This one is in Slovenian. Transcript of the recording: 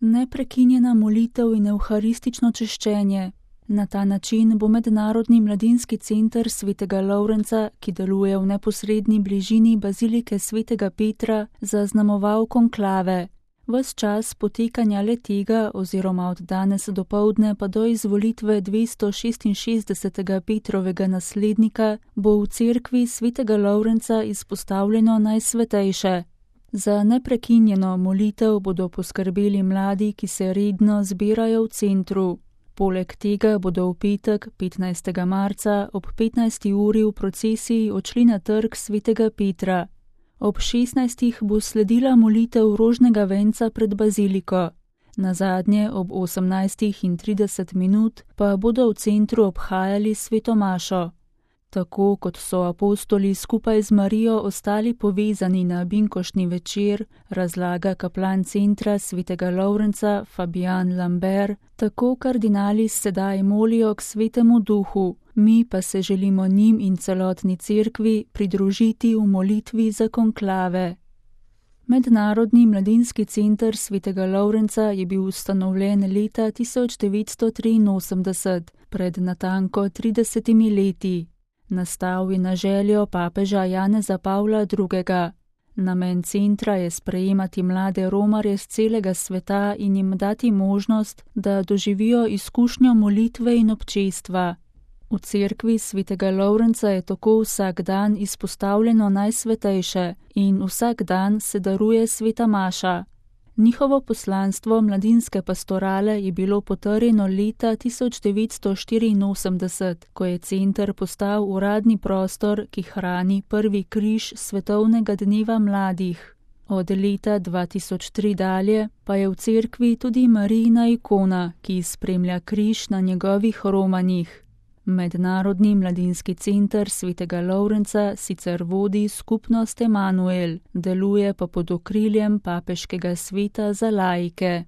Neprekinjena molitev in evharistično češčenje. Na ta način bo Mednarodni mladinski center svetega Lovrenca, ki deluje v neposredni bližini bazilike svetega Petra, zaznamoval konklave. Ves čas potekanja le-tega oziroma od danes dopoldne pa do izvolitve 266. Petrovega naslednika bo v cerkvi svetega Lovrenca izpostavljeno najsvetejše. Za neprekinjeno molitev bodo poskrbeli mladi, ki se redno zbirajo v centru. Poleg tega bodo v petek, 15. marca, ob 15. uri v procesiji odšli na trg svetega Petra. Ob 16. bo sledila molitev rožnega venca pred baziliko. Nazadnje ob 18:30 pa bodo v centru obhajali sveto mašo. Tako kot so apostoli skupaj z Marijo ostali povezani na binkoštni večer, razlaga kaplan centra svetega Lovrenca Fabijan Lambert, tako kardinali sedaj molijo k svetemu duhu, mi pa se želimo njim in celotni cerkvi pridružiti v molitvi za konklave. Mednarodni mladinski center svetega Lovrenca je bil ustanovljen leta 1983, pred natanko 30 leti. Nastal je na željo papeža Janeza Pavla II. Namen centra je sprejemati mlade romarje z celega sveta in jim dati možnost, da doživijo izkušnjo molitve in občestva. V cerkvi svetega Lovrenca je tako vsak dan izpostavljeno najsvetejše in vsak dan se daruje sveta maša. Njihovo poslanstvo mladinske pastorale je bilo potrjeno leta 1984, ko je center postal uradni prostor, ki hrani prvi križ svetovnega dneva mladih. Od leta 2003 dalje pa je v cerkvi tudi Marijina ikona, ki spremlja križ na njegovih romanjih. Mednarodni mladinski center svetega Lovrenca sicer vodi skupnost Emanuel, deluje pa pod okriljem papeškega sveta za laike.